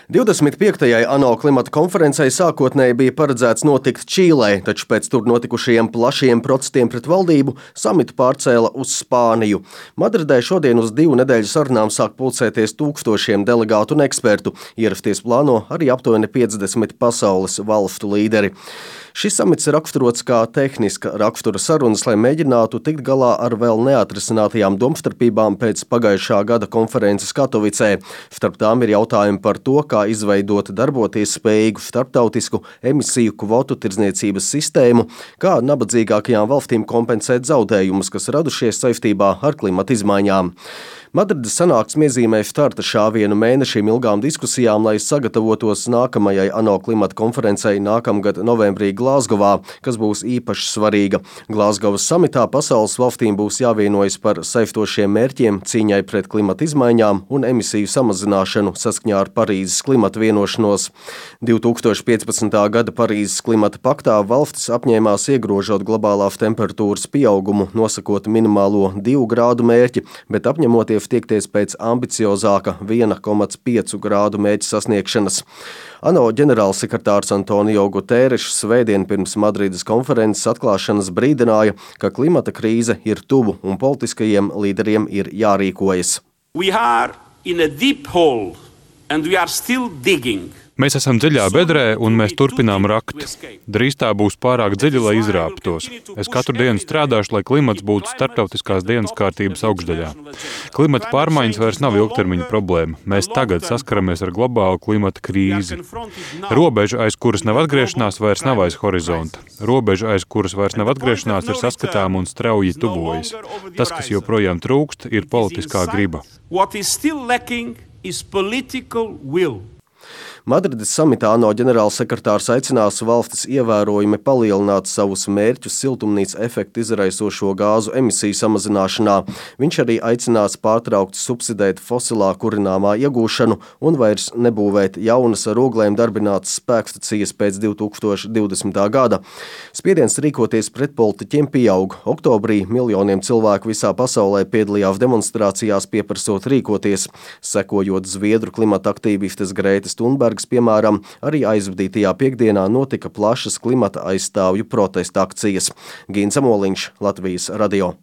25. ANO klimata konferencei sākotnēji bija paredzēts notikt Čīlē, taču pēc tur notikušajiem plašiem protestiem pret valdību samitu pārcēla uz Spāniju. Madridē šodien uz 2 nedēļu sarunām sāk pulcēties tūkstošiem delegātu un ekspertu. Ierasties plāno arī aptuveni 50 pasaules valstu līderi. Šis samits ir raksturots kā tehniska rakstura sarunas, lai mēģinātu tikt galā ar vēl neatrisinātajām domstarpībām pēc pagājušā gada konferences Katovicē. Starp tām ir jautājumi par to, kā izveidot darboties spējīgu starptautisku emisiju kvotu tirdzniecības sistēmu, kā nabadzīgākajām valstīm kompensēt zaudējumus, kas radušies saistībā ar klimata izmaiņām. Madrides sanāksme iezīmē starta šāvienu mēnešiem ilgām diskusijām, lai sagatavotos nākamajai ANO klimata konferencei nākamgad novembrī Glāzgovā, kas būs īpaši svarīga. Glāzgovas samitā pasaules valstīm būs jāvienojas par saistošiem mērķiem cīņai pret klimata izmaiņām un emisiju samazināšanu saskaņā ar Parīzes klimata vienošanos. 2015. gada Parīzes klimata paktā valstis apņēmās iegrožot globālās temperatūras pieaugumu, nosakot minimālo 2 grādu mērķi, bet apņemoties tiekties pēc ambiciozāka 1,5 grādu mērķa sasniegšanas. ANO ģenerālsekretārs Antonio Guterres svētdien pirms Madrides konferences atklāšanas brīdināja, ka klimata krīze ir tuvu un politiskajiem līderiem ir jārīkojas. We are in a deep hole and we are still digging. Mēs esam dziļā bedrē, un mēs turpinām rakt. Drīz tā būs pārāk dziļa, lai izrāptos. Es katru dienu strādāšu, lai klimats būtu starptautiskās dienas kārtības augšdaļā. Klimata pārmaiņas vairs nav ilgtermiņa problēma. Mēs tagad saskaramies ar globālu klimata krīzi. Robeža, aiz kuras nav atgriešanās, vairs nav aiz horizonta. Robeža, aiz kuras vairs nav atgriešanās, ir saskatām un strauji tuvojas. Tas, kas joprojām trūkst, ir politiskā griba. What is still lacking is political will. Madrides samitā ANO ģenerālsekretārs aicinās valstis ievērojami palielināt savus mērķus siltumnīca efektu izraisošo gāzu emisiju samazināšanā. Viņš arī aicinās pārtraukt subsidēt fosilā kurināmā iegūšanu un vairs nebūvēt jaunas ar oglēm darbinātas spēkstacijas pēc 2020. gada. Spiediens rīkoties pret politiķiem pieaug. Oktobrī miljoniem cilvēku visā pasaulē piedalījās demonstrācijās pieprasot rīkoties, sekojot Zviedru klimata aktīvistes Grētas Thunbergas, piemēram, arī aizvadītajā piekdienā notika plašas klimata aizstāvju protesta akcijas. Gīns Amoliņš, Latvijas radio.